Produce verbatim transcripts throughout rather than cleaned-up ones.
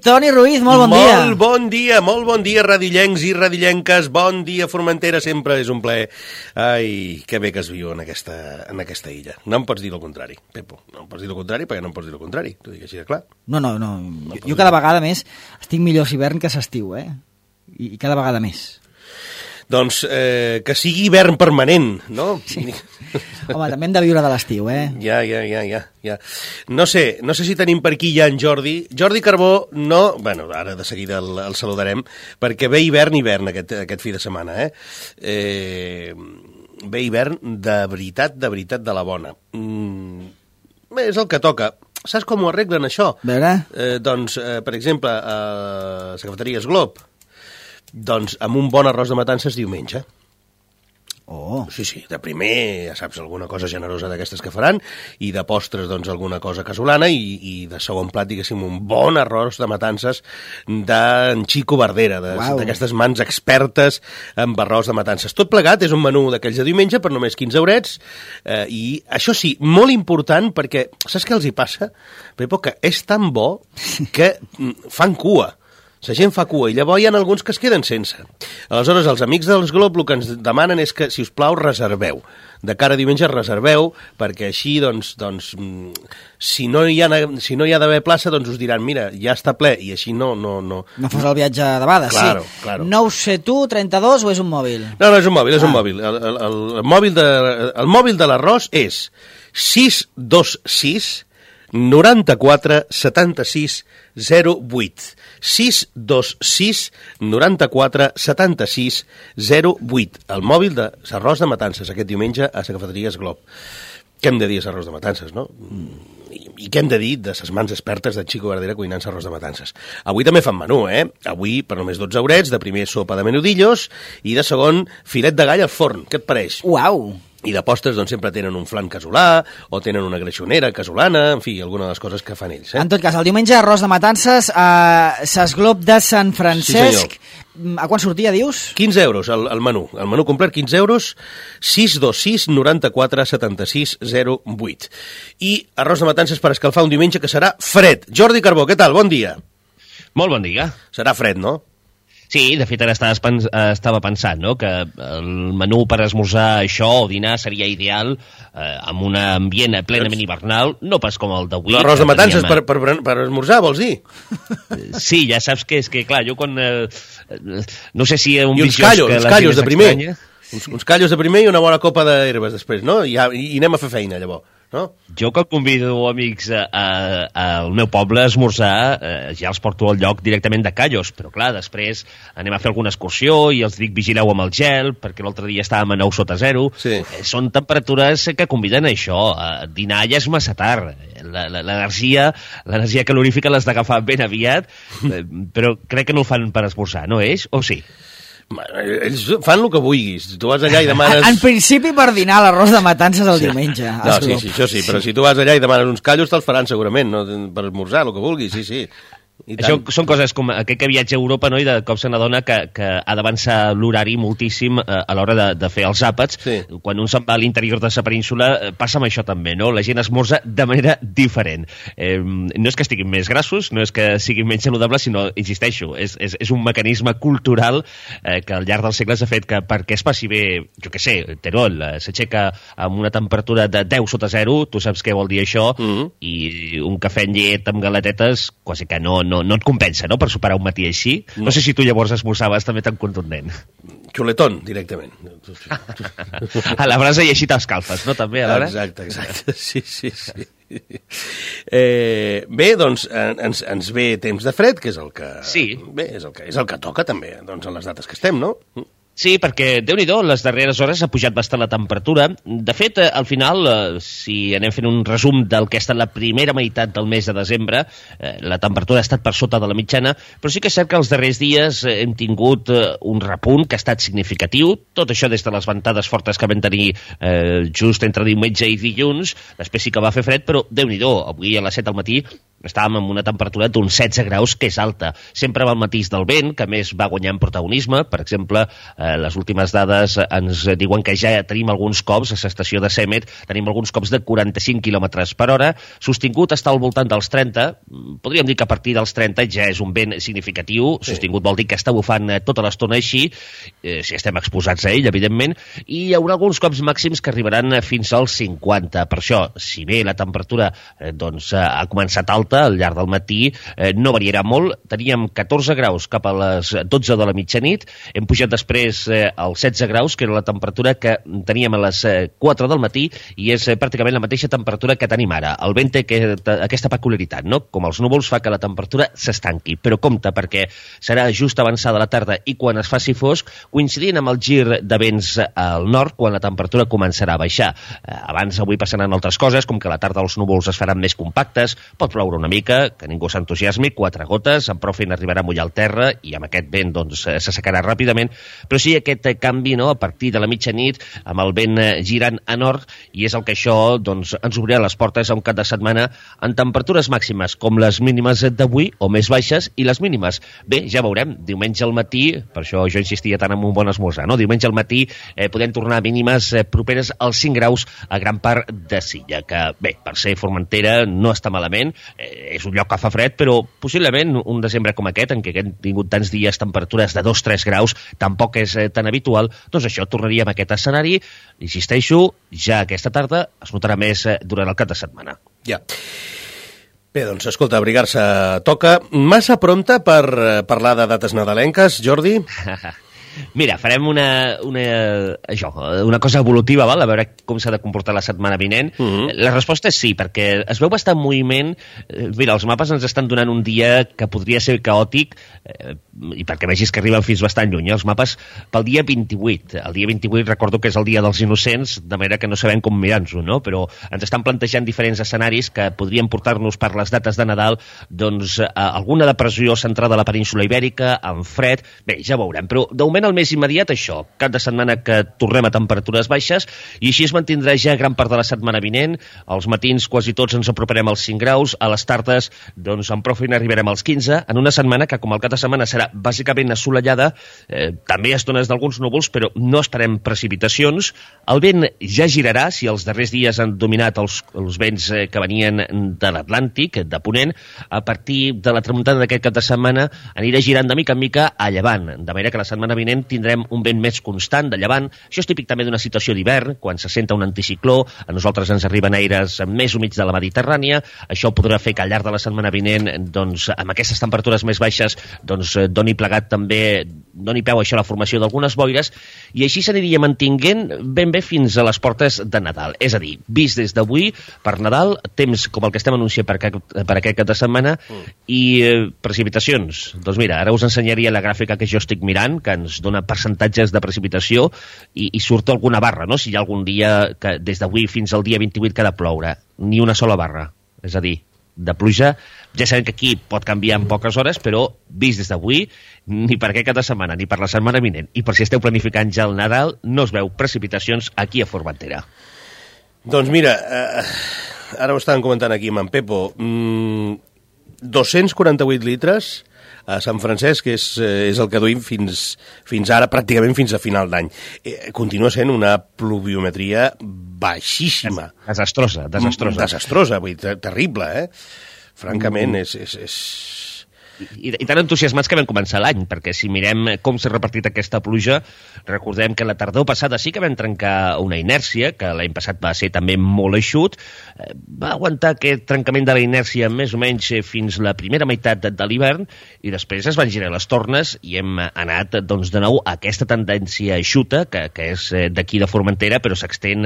Toni Ruiz, molt bon molt dia. Molt bon dia, molt bon dia, radillencs i radillenques. Bon dia, Formentera, sempre és un plaer. Ai, que bé que es viu en aquesta, en aquesta illa. No em pots dir el contrari, Pepo. No em pots dir el contrari perquè no em pots dir el contrari. T'ho dic així de clar. No, no, no. no jo, jo cada vegada més estic millor a hivern que a estiu, eh? I, I cada vegada més. Doncs eh, que sigui hivern permanent, no? Sí. Home, també hem de viure de l'estiu, eh? Ja, ja, ja, ja, ja. No sé, no sé si tenim per aquí ja en Jordi. Jordi Carbó, no... Bueno, ara de seguida el, el saludarem, perquè ve hivern, hivern aquest, aquest fi de setmana, eh? eh? Ve hivern de veritat, de veritat de la bona. Mm, bé, és el que toca. Saps com ho arreglen, això? A veure? Eh, doncs, eh, per exemple, a la cafeteria Esglob, doncs amb un bon arròs de matances diumenge. Oh. Sí, sí, de primer, ja saps, alguna cosa generosa d'aquestes que faran, i de postres, doncs, alguna cosa casolana, i, i de segon plat, diguéssim, un bon arròs de matances d'en Chico Bardera, d'aquestes mans expertes amb arròs de matances. Tot plegat és un menú d'aquells de diumenge per només quinze eurets, eh, i això sí, molt important, perquè saps què els hi passa, Pepo? Que és tan bo que fan cua. La gent fa cua i llavors hi ha alguns que es queden sense. Aleshores, els amics dels Glob el que ens demanen és que, si us plau, reserveu. De cara a diumenge reserveu, perquè així, doncs, doncs si no hi ha, si no hi ha d'haver plaça, doncs us diran, mira, ja està ple, i així no... No, no, no fos el viatge de Bada, claro, sí. Claro. No ho sé tu, trenta-dos, o és un mòbil? No, no, és un mòbil, és ah. un mòbil. El, el, el, el, mòbil de, el mòbil de l'arròs és sis dos sis noranta-quatre setanta-sis zero vuit. sis dos sis noranta-quatre setanta-sis zero vuit. El mòbil de l'arròs de matances aquest diumenge a la cafeteria Esglob. Què hem de dir a l'arròs de matances, no? I, i què hem de dir de les mans expertes de Chico Bardera cuinant l'arròs de matances? Avui també fan menú, eh? Avui, per només dotze eurets, de primer sopa de menudillos i de segon filet de gall al forn. Què et pareix? Uau! I de postres, doncs, sempre tenen un flan casolà, o tenen una greixonera casolana, en fi, alguna de les coses que fan ells. Eh? En tot cas, el diumenge, arròs de matances a l'Esglob de Sant Francesc. Sí, a quan sortia, dius? quinze euros, el, el menú. El menú complet, quinze euros, sis dos sis noranta-quatre setanta-sis zero vuit. I arròs de matances per escalfar un diumenge que serà fred. Jordi Carbó, què tal? Bon dia. Molt bon dia. Serà fred, no? Sí, de fet ara estava pensant, no?, que el menú per esmorzar això o dinar seria ideal eh, amb un ambient plenament hivernal, no pas com el d'avui. L'arròs de matances teníem... per, per, per esmorzar, vols dir? Sí, ja saps que és que, clar, jo quan... Eh, no sé si un I uns callos, uns callos de primer. Uns, uns callos de primer i una bona copa d'herbes després, no? I, I anem a fer feina, llavors. No? Jo que convido amics al meu poble a esmorzar, eh, ja els porto al lloc directament de callos, però clar, després anem a fer alguna excursió i els dic vigileu amb el gel, perquè l'altre dia estàvem a nou sota zero. Sí. Eh, són temperatures que conviden a això. A dinar ja és massa tard. L'energia l'energia calorífica l'has d'agafar ben aviat, eh, però crec que no ho fan per esmorzar, no és? O sí? Ells fan el que vulguis. Tu vas allà i demanes... En principi per dinar l'arròs de matances el sí. diumenge. No, sí, sí, això sí, però si tu vas allà i demanes uns callos te'ls faran segurament, no? Per esmorzar, el que vulguis, sí, sí. Això són coses com aquell que viatja a Europa, no?, i de cop se n'adona que, que ha d'avançar l'horari moltíssim a, a l'hora de, de fer els àpats. Sí. Quan un se'n va a l'interior de la península passa amb això també, no? La gent esmorza de manera diferent. Eh, no és que estiguin més grassos, no és que siguin menys saludables, sinó, insisteixo, és, és, és un mecanisme cultural eh, que al llarg dels segles ha fet que perquè es passi bé, jo què sé, Terol eh, s'aixeca amb una temperatura de deu sota zero, tu saps què vol dir això, mm-hmm. i un cafè en llet amb galetetes quasi que no No, no et compensa, no?, per superar un matí així. No, no sé si tu llavors esmorzaves també tan contundent. Xuletón, directament. A la brasa i així t'escalfes, no?, també, a l'hora? Exacte, exacte, sí, sí, sí. Eh, bé, doncs, ens, ens ve temps de fred, que és el que... Sí. Bé, és el que, és el que toca també, doncs, en les dates que estem, no? Sí, perquè, Déu-n'hi-do, les darreres hores ha pujat bastant la temperatura. De fet, al final, eh, si anem fent un resum del que ha estat la primera meitat del mes de desembre, eh, la temperatura ha estat per sota de la mitjana, però sí que és cert que els darrers dies eh, hem tingut eh, un repunt que ha estat significatiu, tot això des de les ventades fortes que vam tenir eh, just entre diumenge i dilluns, després sí que va fer fred, però Déu-n'hi-do, avui a les set del matí estàvem amb una temperatura d'uns setze graus, que és alta. Sempre va al matís del vent, que més va guanyant protagonisme. Per exemple, eh, les últimes dades ens diuen que ja tenim alguns cops, a l'estació de Semet, tenim alguns cops de quaranta-cinc quilòmetres per hora. Sostingut està al voltant dels trenta. Podríem dir que a partir dels trenta ja és un vent significatiu. Sí. Sostingut vol dir que està bufant tota l'estona així, eh, si estem exposats a ell, evidentment, i hi haurà alguns cops màxims que arribaran fins als cinquanta. Per això, si bé la temperatura eh, doncs, ha començat alta al llarg del matí, eh, no variarà molt. Teníem catorze graus cap a les dotze de la mitjanit, hem pujat després eh, als setze graus, que era la temperatura que teníem a les eh, quatre del matí, i és eh, pràcticament la mateixa temperatura que tenim ara. El vent té aquest, aquesta peculiaritat, no? Com els núvols fa que la temperatura s'estanqui, però compte, perquè serà just avançada la tarda i quan es faci fosc, coincidint amb el gir de vents al nord, quan la temperatura començarà a baixar. Eh, abans, avui passaran altres coses, com que a la tarda els núvols es faran més compactes, pot ploure una mica, que ningú s'entusiasmi, quatre gotes, en prou feina arribarà a mullar el terra, i amb aquest vent doncs, s'assecarà ràpidament, però sí aquest canvi, no?, a partir de la mitjanit, amb el vent girant a nord, i és el que això doncs, ens obrirà les portes a un cap de setmana en temperatures màximes, com les mínimes d'avui, o més baixes, i les mínimes. Bé, ja veurem, diumenge al matí, per això jo insistia tant en un bon esmorzar, no? Diumenge al matí eh, podem tornar a mínimes eh, properes als cinc graus a gran part de Silla, que bé, per ser Formentera no està malament, eh, és un lloc que fa fred, però possiblement un desembre com aquest, en què hem tingut tants dies temperatures de dos a tres graus, tampoc és eh, tan habitual, doncs això, tornaríem a aquest escenari, insisteixo, ja aquesta tarda es notarà més eh, durant el cap de setmana. Ja. Bé, doncs, escolta, abrigar-se toca. Massa prompte per parlar de dates nadalenques, Jordi? Mira, farem una, una, això, una cosa evolutiva, val? A veure com s'ha de comportar la setmana vinent. Uh -huh. La resposta és sí, perquè es veu bastant moviment. Mira, els mapes ens estan donant un dia que podria ser caòtic, eh, i perquè vegis que arriben fins bastant lluny, eh? Els mapes pel dia vint-i-vuit. El dia vint-i-vuit recordo que és el dia dels innocents, de manera que no sabem com mirar-nos-ho, no? Però ens estan plantejant diferents escenaris que podrien portar-nos per les dates de Nadal doncs, a alguna depressió centrada a la península Ibèrica, amb fred. Bé, ja veurem, però de moment el més immediat, això, cap de setmana que tornem a temperatures baixes, i així es mantindrà ja gran part de la setmana vinent. Als matins quasi tots ens aproparem als cinc graus, a les tardes, doncs, amb prou feina arribarem als quinze, en una setmana que, com el cap de setmana serà bàsicament assolellada, eh, també estones d'alguns núvols, però no esperem precipitacions. El vent ja girarà, si els darrers dies han dominat els, els vents eh, que venien de l'Atlàntic, de Ponent, a partir de la tramuntana d'aquest cap de setmana anirà girant de mica en mica a llevant, de manera que la setmana vinent tindrem un vent més constant de llevant. Això és típic també d'una situació d'hivern, quan se senta un anticicló, a nosaltres ens arriben aires més humits de la Mediterrània. Això podrà fer que al llarg de la setmana vinent, doncs, amb aquestes temperatures més baixes, doncs, doni plegat també, doni peu a això la formació d'algunes boires, i així s'aniria mantinguent ben bé fins a les portes de Nadal. És a dir, vist des d'avui, per Nadal, temps com el que estem anunciant per, per aquest cap de setmana, mm. i eh, precipitacions. Doncs mira, ara us ensenyaria la gràfica que jo estic mirant, que ens dona percentatges de precipitació, i, i surt alguna barra, no? Si hi ha algun dia que des d'avui fins al dia vint-i-vuit que ha de ploure, ni una sola barra, és a dir, de pluja. Ja sabem que aquí pot canviar en poques hores, però vist des d'avui, ni per aquest cap de setmana, ni per la setmana vinent, i per si esteu planificant ja el Nadal, no es veu precipitacions aquí a Formentera. Doncs mira, eh, ara ho estàvem comentant aquí amb en Pepo, mm, dos-cents quaranta-vuit litres a Sant Francesc, que és, és el que duim fins, fins ara, pràcticament fins a final d'any. Eh, continua sent una pluviometria baixíssima. Desastrosa, desastrosa. Desastrosa, vull dir, terrible, eh? Francament, és... és, és... I, i tan entusiasmats que vam començar l'any, perquè si mirem com s'ha repartit aquesta pluja, recordem que la tardor passada sí que vam trencar una inèrcia, que l'any passat va ser també molt eixut, va aguantar aquest trencament de la inèrcia més o menys fins la primera meitat de, de l'hivern, i després es van girar les tornes i hem anat doncs, de nou a aquesta tendència eixuta, que, que és d'aquí de Formentera, però s'extén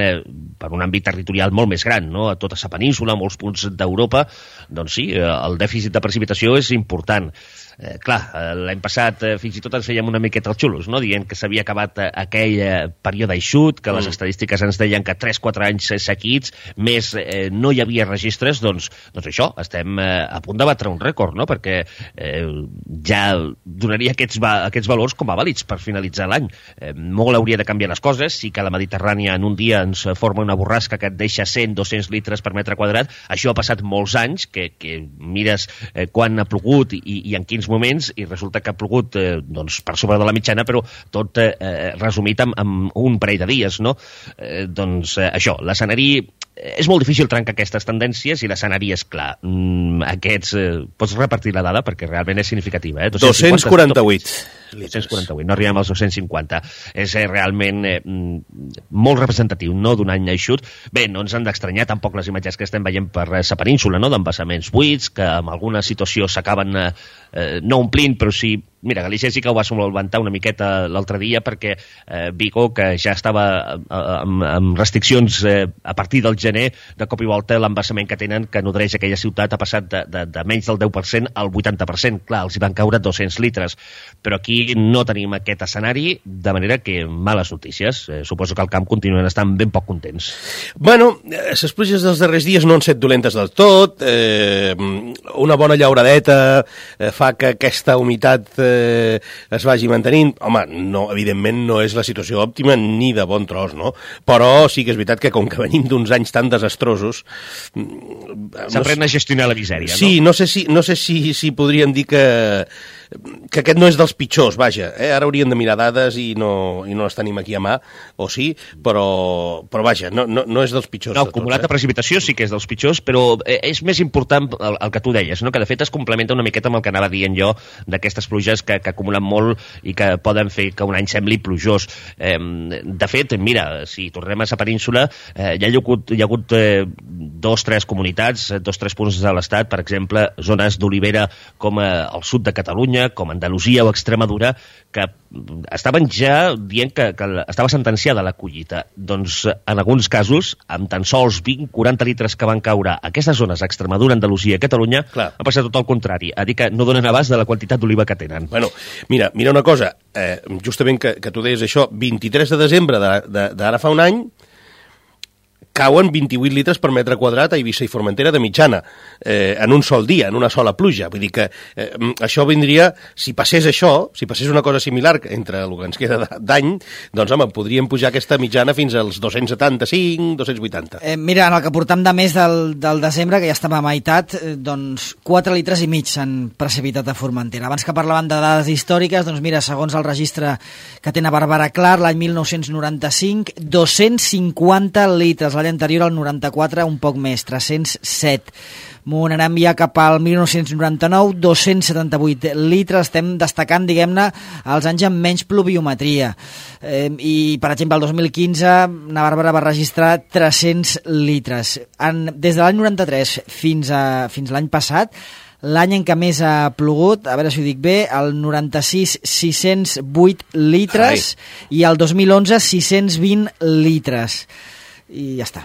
per un àmbit territorial molt més gran, no? A tota la península, a molts punts d'Europa. Doncs sí, el dèficit de precipitació és important. tant. Eh, clar, l'any passat eh, fins i tot ens fèiem una miqueta els xulos, no? Dient que s'havia acabat eh, aquell eh, període eixut, que les mm. estadístiques ens deien que tres quatre anys seguits més eh, no hi havia registres, doncs, doncs això, estem eh, a punt de batre un rècord, no? Perquè eh, ja donaria aquests, va, aquests valors com a vàlids per finalitzar l'any. Eh, molt hauria de canviar les coses, sí que la Mediterrània en un dia ens forma una borrasca que et deixa cent dos-cents litres per metre quadrat, això ha passat molts anys, que, que mires eh, quan ha plogut i, i en quins moments, i resulta que ha plogut eh, doncs, per sobre de la mitjana, però tot eh, resumit amb, amb un parell de dies, no? Eh, doncs eh, això, l'escenari... És molt difícil trencar aquestes tendències i l'escenari és clar. Mm, aquests... Eh, pots repartir la dada perquè realment és significativa. Eh? dos-cents quaranta-vuit. dos-cents quaranta-vuit, no arribem als dos-cents cinquanta. És eh, realment eh, molt representatiu, no d'un any eixut. Bé, no ens han d'estranyar tampoc les imatges que estem veient per la península, no? D'embassaments buits, que en alguna situació s'acaben eh, no omplint, però sí... Mira, Galícia sí que ho va solventar una miqueta l'altre dia perquè eh, Vigo, que ja estava eh, amb, amb restriccions eh, a partir del gener, de cop i volta l'embassament que tenen, que nodreix aquella ciutat, ha passat de, de, de menys del deu per cent al vuitanta per cent. Clar, els hi van caure dos-cents litres. Però aquí no tenim aquest escenari, de manera que males notícies. Eh, suposo que al camp continuen estant ben poc contents. Bueno, les pluges dels darrers dies no han set dolentes del tot. Eh, una bona llauradeta eh, fa que aquesta humitat eh, es vagi mantenint. Home, no, evidentment no és la situació òptima ni de bon tros, no? Però sí que és veritat que com que venim d'uns anys tan desastrosos... S'aprèn no a gestionar la misèria, no? Sí, no sé si, no sé si, si podríem dir que que aquest no és dels pitjors, vaja, eh? Ara hauríem de mirar dades i no, i no les tenim aquí a mà, o sí, però, però vaja, no, no, no és dels pitjors. No, acumulat de, eh? de precipitació sí que és dels pitjors, però és més important el, el que tu deies, no? Que de fet es complementa una miqueta amb el que anava dient jo d'aquestes pluges que, que acumulen molt i que poden fer que un any sembli plujós. Eh, de fet, mira, si tornem a la península, eh, hi ha hagut, hi ha hagut eh, dos, tres comunitats, dos, tres punts de l'estat, per exemple, zones d'olivera com eh, al sud de Catalunya, com Andalusia o Extremadura, que estaven ja dient que, que estava sentenciada la collita. Doncs en alguns casos, amb tan sols vint a quaranta litres que van caure a aquestes zones, Extremadura, Andalusia i Catalunya, clar, ha passat tot el contrari, a dir que no donen abast de la quantitat d'oliva que tenen. Bueno, mira, mira una cosa, eh, justament que, que tu deies això, vint-i-tres de desembre d'ara fa un any, cauen vint-i-vuit litres per metre quadrat a Eivissa i Formentera de mitjana, eh, en un sol dia, en una sola pluja. Vull dir que eh, això vindria, si passés això, si passés una cosa similar entre el que ens queda d'any, doncs home, podríem pujar aquesta mitjana fins als dos-cents setanta-cinc, dos-cents vuitanta. Eh, mira, en el que portam de mes del, del desembre, que ja estem a meitat, eh, doncs quatre litres i mig s'han precipitat a Formentera. Abans que parlaven de dades històriques, doncs mira, segons el registre que té a Bàrbara Clar, l'any mil nou-cents noranta-cinc, dos-cents cinquanta litres, l'any anterior al noranta-quatre un poc més, tres-cents set. M'ho anem ja cap al mil nou-cents noranta-nou, dos-cents setanta-vuit litres. Estem destacant, diguem-ne, els anys amb menys pluviometria. Eh, I, per exemple, el dos mil quinze, na Bàrbara va registrar tres-cents litres. En, des de l'any noranta-tres fins a fins l'any passat, l'any en què més ha plogut, a veure si ho dic bé, el noranta-sis, sis-cents vuit litres. Ai. I el dos mil onze, sis-cents vint litres. I ja està.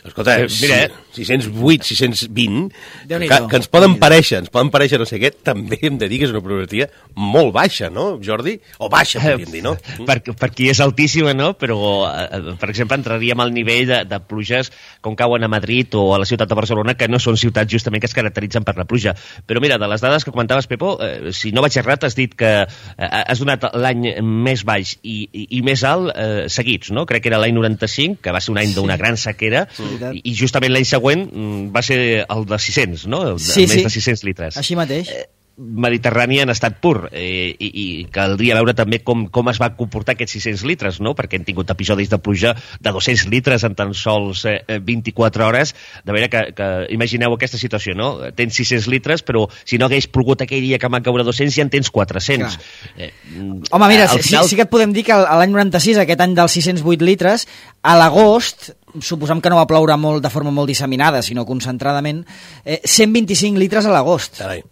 Escolta, eh, mira, sis-cents vuit, sis-cents vint, que, que ens poden parèixer, ens poden parèixer no sé què, també hem de dir que és una probabilitat molt baixa, no, Jordi? O baixa, podríem dir, no? Per, per qui és altíssima, no? Però, eh, per exemple, entraríem al nivell de, de pluges com cauen a Madrid o a la ciutat de Barcelona, que no són ciutats justament que es caracteritzen per la pluja. Però mira, de les dades que comentaves, Pepo, eh, si no vaig errat, has dit que eh, has donat l'any més baix i, i, i més alt eh, seguits, no? Crec que era l'any noranta-cinc, que va ser un any d'una gran sequera, i, i justament l'any següent va ser el de sis-cents, no? El de, sí, més sí. de sis-cents litres. Així mateix. Eh, Mediterrani en estat pur, eh, i, i caldria veure també com, com es va comportar aquests sis-cents litres, no? Perquè hem tingut episodis de pluja de dos-cents litres en tan sols eh, vint-i-quatre hores, de manera que, que imagineu aquesta situació, no? Tens sis-cents litres, però si no hagués plogut aquell dia que van caure dos-cents, ja en tens quatre-cents. Eh, Home, mira, final... sí, sí que et podem dir que l'any noranta-sis, aquest any dels sis-cents vuit litres, a l'agost, suposam que no va ploure molt de forma molt disseminada, sinó concentradament, eh, cent vint-i-cinc litres a l'agost. Carai.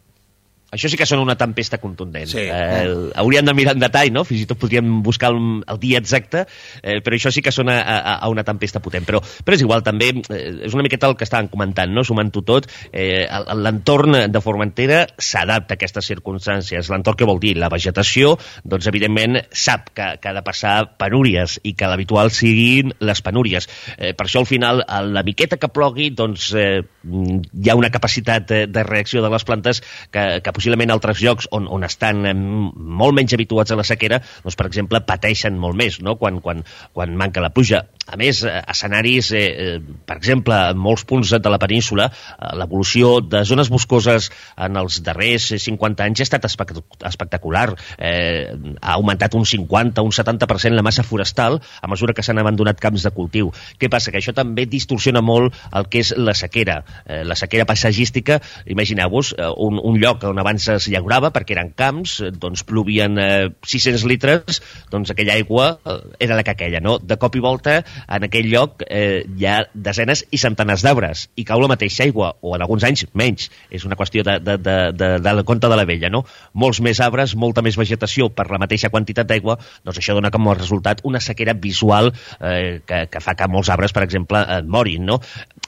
Això sí que són una tempesta contundent. Sí. Eh, hauríem de mirar en detall, no? Fins i tot podríem buscar el, el dia exacte, eh, però això sí que sona a, a, a una tempesta potent. Però, però és igual, també, eh, és una miqueta el que estàvem comentant, no? Sumant-ho tot, eh, l'entorn de Formentera s'adapta a aquestes circumstàncies. L'entorn què vol dir? La vegetació, doncs, evidentment, sap que, que ha de passar penúries i que l'habitual siguin les penúries. Eh, per això, al final, a la miqueta que plogui, doncs, eh, hi ha una capacitat de reacció de les plantes que, que possiblement altres llocs on, on estan molt menys habituats a la sequera, doncs, per exemple, pateixen molt més, no? quan, quan, quan manca la pluja. A més, escenaris, eh, per exemple, en molts punts de la península, l'evolució de zones boscoses en els darrers cinquanta anys ha estat espectacular. Eh, ha augmentat un cinquanta, un setanta per cent la massa forestal a mesura que s'han abandonat camps de cultiu. Què passa? Que això també distorsiona molt el que és la sequera. Eh, la sequera paisatgística, imagineu-vos, un, un lloc on abans es llaurava perquè eren camps, doncs plovien eh, sis-cents litres, doncs aquella aigua eh, era la que aquella, no? De cop i volta, en aquell lloc eh, hi ha desenes i centenars d'arbres i cau la mateixa aigua, o en alguns anys menys. És una qüestió de, de, de, de, de la conta de la vella, no? Molts més arbres, molta més vegetació per la mateixa quantitat d'aigua, doncs això dona com a resultat una sequera visual eh, que, que fa que molts arbres, per exemple, eh, morin, no?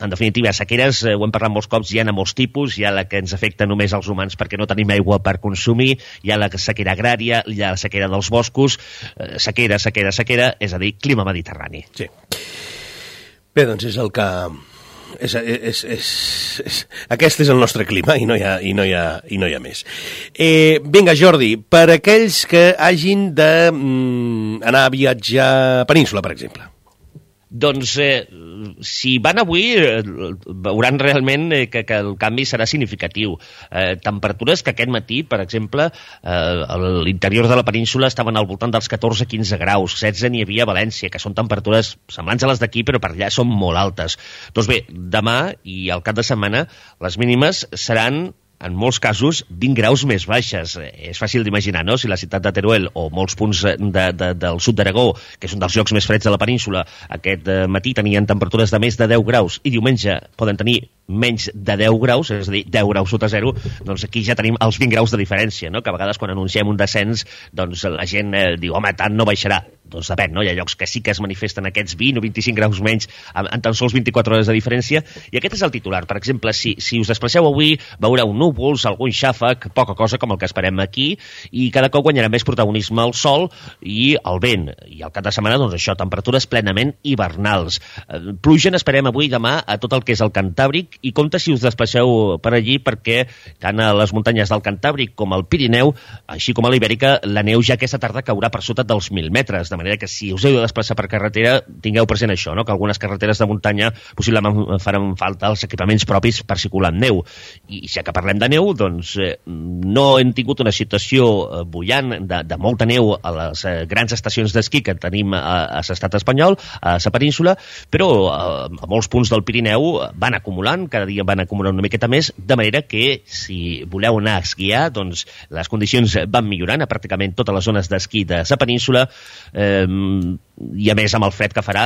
En definitiva, sequeres, eh, ho hem parlat molts cops, hi ha a molts tipus, hi ha la que ens afecta només als humans perquè no tenim aigua per consumir, hi ha la sequera agrària, hi ha la sequera dels boscos, eh, sequera, sequera, sequera, és a dir, clima mediterrani. Sí. Bé, doncs és el que... És, és, és, és, aquest és el nostre clima i no hi ha, i no hi ha, i no hi ha més. Eh, vinga, Jordi, per aquells que hagin d'anar mm, a viatjar a Península, per exemple. Doncs, eh, si van avui, eh, veuran realment eh, que, que el canvi serà significatiu. Eh, temperatures que aquest matí, per exemple, eh, a l'interior de la península estaven al voltant dels catorze a quinze graus, setze n'hi havia a València, que són temperatures semblants a les d'aquí, però per allà són molt altes. Doncs bé, demà i al cap de setmana, les mínimes seran en molts casos, vint graus més baixes. És fàcil d'imaginar, no?, si la ciutat de Teruel o molts punts de, de, del sud d'Aragó, que és un dels llocs més freds de la península, aquest matí tenien temperatures de més de deu graus i diumenge poden tenir menys de deu graus, és a dir, deu graus sota zero, doncs aquí ja tenim els vint graus de diferència, no?, que a vegades quan anunciem un descens, doncs la gent eh, diu, home, tant no baixarà. Doncs depèn, no? Hi ha llocs que sí que es manifesten aquests vint o vint-i-cinc graus menys en, en tan sols vint-i-quatre hores de diferència, i aquest és el titular. Per exemple, si, si us desplaceu avui, veureu núvols, algun xàfec, poca cosa com el que esperem aquí, i cada cop guanyarà més protagonisme el sol i el vent. I al cap de setmana, doncs això, temperatures plenament hivernals. Eh, pluja n'esperem avui i demà a tot el que és el Cantàbric, i compte si us desplaceu per allí, perquè tant a les muntanyes del Cantàbric com al Pirineu, així com a l'Ibèrica, la neu ja aquesta tarda caurà per sota dels mil metres, de manera que si us heu de desplaçar per carretera, tingueu present això, no?, que algunes carreteres de muntanya possiblement faran falta els equipaments propis per circular amb neu. I ja que parlem de neu, doncs eh, no hem tingut una situació eh, bullant de, de molta neu a les eh, grans estacions d'esquí que tenim a, a l'estat espanyol, a la península, però eh, a molts punts del Pirineu van acumulant, cada dia van acumulant una miqueta més, de manera que si voleu anar a esquiar, doncs les condicions van millorant a pràcticament totes les zones d'esquí de la península, eh, i a més amb el fred que farà,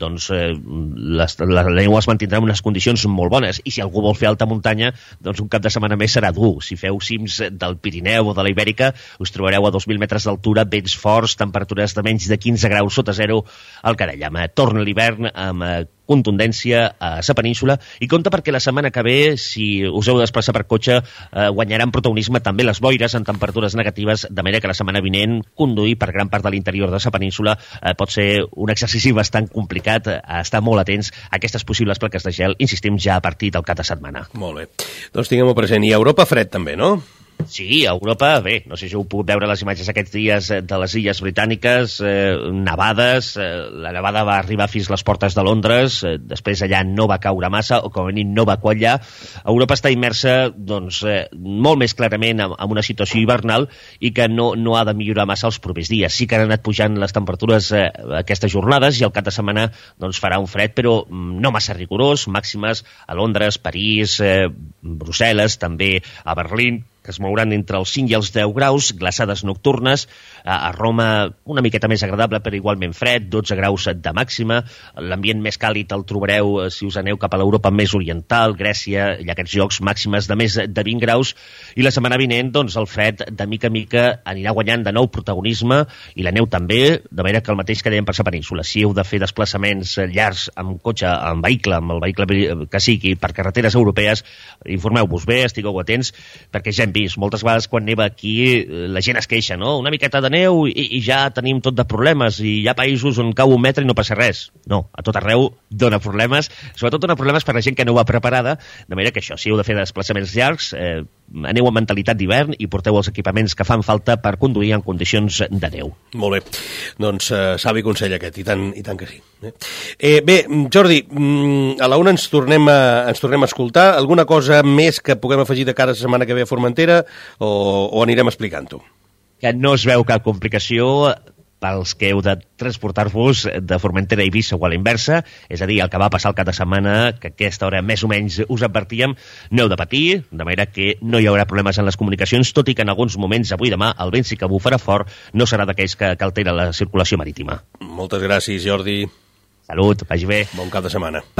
doncs eh, les, la neu es mantindrà en unes condicions molt bones, i si algú vol fer alta muntanya, doncs un cap de setmana més serà dur. Si feu cims del Pirineu o de la Ibèrica, us trobareu a dos mil metres d'altura, vents forts, temperatures de menys de quinze graus sota zero al Carallama. Torna l'hivern amb eh, contundència a la península, i compte perquè la setmana que ve, si us heu de desplaçar per cotxe, eh, guanyaran protagonisme també les boires en temperatures negatives, de manera que la setmana vinent conduir per gran part de l'interior de la península eh, pot ser un exercici bastant complicat, eh, a estar molt atents a aquestes possibles plaques de gel, insistim, ja a partir del cap de setmana. Molt bé, doncs tinguem-ho present. I a Europa fred també, no? Sí, a Europa, bé, no sé si heu pogut veure les imatges aquests dies de les illes britàniques, eh, nevades, eh, la nevada va arribar fins a les portes de Londres, eh, després allà no va caure massa, o com a mínim no va quallar. Europa està immersa, doncs, eh, molt més clarament en, en una situació hivernal, i que no, no ha de millorar massa els propers dies. Sí que han anat pujant les temperatures eh, aquestes jornades, i al cap de setmana doncs, farà un fred, però no massa rigorós, màximes a Londres, París, eh, Brussel·les, també a Berlín, que es mouran entre els cinc i els deu graus, glaçades nocturnes. A Roma una miqueta més agradable, però igualment fred, dotze graus de màxima. L'ambient més càlid el trobareu si us aneu cap a l'Europa més oriental, Grècia, i aquests llocs màximes de més de vint graus. I la setmana vinent, doncs, el fred de mica en mica anirà guanyant de nou protagonisme, i la neu també, de manera que el mateix que dèiem per la península. Si heu de fer desplaçaments llargs amb cotxe, amb vehicle, amb el vehicle que sigui, per carreteres europees, informeu-vos bé, estigueu atents, perquè ja hem vist, moltes vegades quan neva aquí la gent es queixa, no? Una miqueta de neu i, i ja tenim tot de problemes, i hi ha països on cau un metre i no passa res. No, a tot arreu dona problemes, sobretot dona problemes per la gent que no va preparada, de manera que això, si heu de fer desplaçaments llargs, eh, aneu amb mentalitat d'hivern i porteu els equipaments que fan falta per conduir en condicions de neu. Molt bé, doncs eh, savi consell aquest, i tant, i tant que sí. Eh, bé, Jordi, a la una ens tornem a, ens tornem a escoltar. Alguna cosa més que puguem afegir de cara a la setmana que ve a Formentera, o, o anirem explicant-ho? Que no es veu cap complicació pels que heu de transportar-vos de Formentera a Eivissa o a la inversa, és a dir, el que va passar el cap de setmana, que a aquesta hora més o menys us advertíem, no heu de patir, de manera que no hi haurà problemes en les comunicacions, tot i que en alguns moments, avui i demà, el vent sí que bufarà fort, no serà d'aquells que, que altera la circulació marítima. Moltes gràcies, Jordi. Salut, vagi bé. Bon cap de setmana.